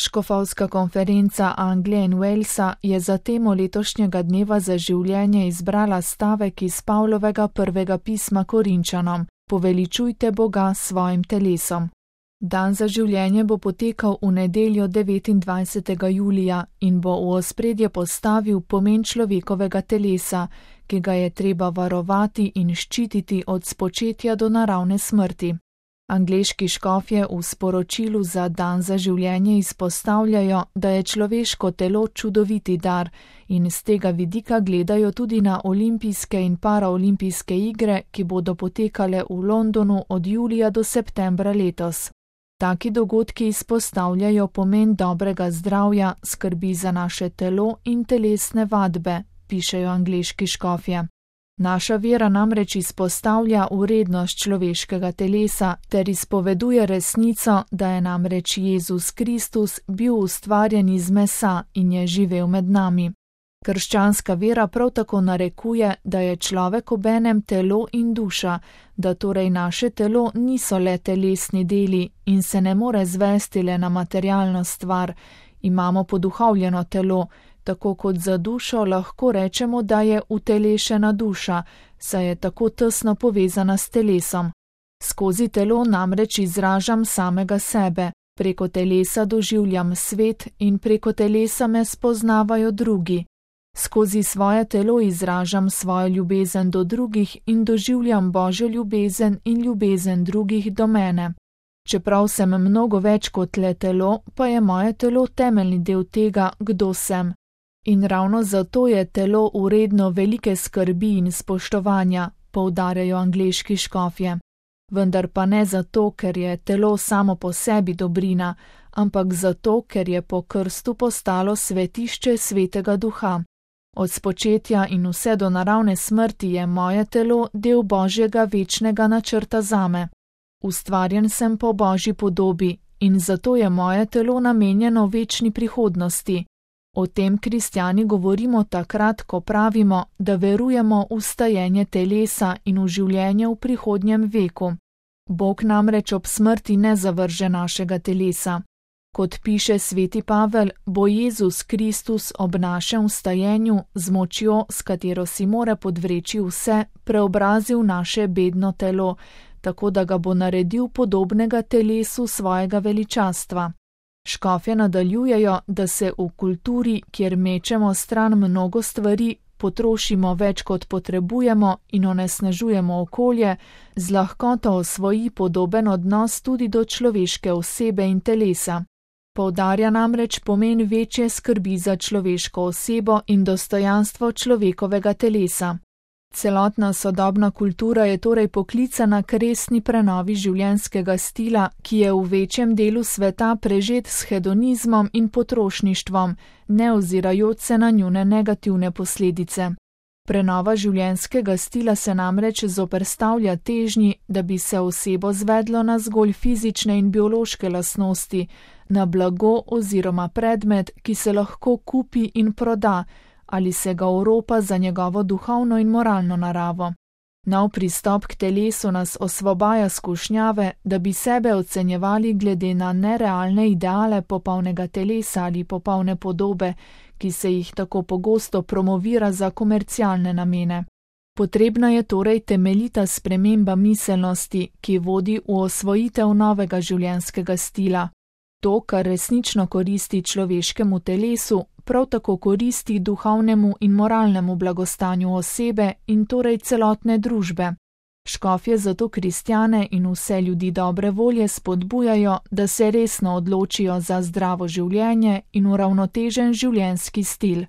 Škofovska konferenca Anglije in Walesa je za temo letošnjega dneva za življenje izbrala stavek iz Pavlovega prvega pisma Korinčanom: Poveličujte Boga s svojim telesom. Dan za življenje bo potekal v nedeljo 29. julija in bo v ospredje postavil pomen človekovega telesa, ki ga je treba varovati in ščititi od spočetja do naravne smrti. Angleški škofje v sporočilu za dan za življenje izpostavljajo, da je človeško telo čudoviti dar in z tega vidika gledajo tudi na olimpijske in paraolimpijske igre, ki bodo potekale v Londonu od julija do septembra letos. Taki dogodki izpostavljajo pomen dobrega zdravja, skrbi za naše telo in telesne vadbe, pišejo angleški škofje. Naša vera namreč izpostavlja vrednost človeškega telesa ter izpoveduje resnico, da je namreč Jezus Kristus bil ustvarjen iz mesa in je živel med nami. Krščanska vera prav tako narekuje, da je človek obenem telo in duša, da torej naše telo niso le telesni deli in se ne more zvesti le na materialno stvar, imamo poduhovljeno telo, tako kot za dušo lahko rečemo, da je utelešena duša, saj je tako tesno povezana s telesom. Skozi telo namreč izražam samega sebe, preko telesa doživljam svet in preko telesa me spoznavajo drugi. Skozi svoje telo izražam svojo ljubezen do drugih in doživljam Božjo ljubezen in ljubezen drugih do mene. Čeprav sem mnogo več kot le telo, pa je moje telo temeljni del tega, kdo sem. In ravno zato je telo vredno velike skrbi in spoštovanja, poudarjajo angleški škofje. Vendar pa ne zato, ker je telo samo po sebi dobrina, ampak zato, ker je po krstu postalo svetišče Svetega Duha. Od spočetja in vse do naravne smrti je moje telo del Božjega večnega načrta zame. Ustvarjen sem po Božji podobi in zato je moje telo namenjeno večni prihodnosti. O tem kristjani govorimo takrat, ko pravimo, da verujemo v stajenje telesa in v življenje v prihodnjem veku. Bog namreč ob smrti ne zavrže našega telesa. Kot piše sveti Pavel, bo Jezus Kristus ob našem vstajenju z močjo, s katero si mora podvreči vse, preobrazil naše bedno telo, tako da ga bo naredil podobnega telesu svojega veličastva. Škofje nadaljujejo, da se v kulturi, kjer mečemo stran mnogo stvari, potrošimo več kot potrebujemo in onesnažujemo okolje, z lahkoto osvoji podoben odnos tudi do človeške osebe in telesa. Poudarja namreč pomen večje skrbi za človeško osebo in dostojanstvo človekovega telesa. Celotna sodobna kultura je torej poklicana k resni prenovi življenjskega stila, ki je v večjem delu sveta prežet s hedonizmom in potrošništvom, ne ozirajoč se na njune negativne posledice. Prenova življenjskega stila se namreč zoperstavlja težnji, da bi se osebo zvedlo na zgolj fizične in biološke lastnosti, na blago oziroma predmet, ki se lahko kupi in proda, ali se ga oropa za njegovo duhovno in moralno naravo. Nov pristop k telesu nas osvobaja skušnjave, da bi sebe ocenjevali glede na nerealne ideale popolnega telesa ali popolne podobe, ki se jih tako pogosto promovira za komercialne namene. Potrebna je torej temeljita sprememba miselnosti, ki vodi v osvojitev novega življenjskega stila. To, kar resnično koristi človeškemu telesu, prav tako koristi duhovnemu in moralnemu blagostanju osebe in torej celotne družbe. Škofje zato kristjane in vse ljudi dobre volje spodbujajo, da se resno odločijo za zdravo življenje in uravnotežen življenjski stil.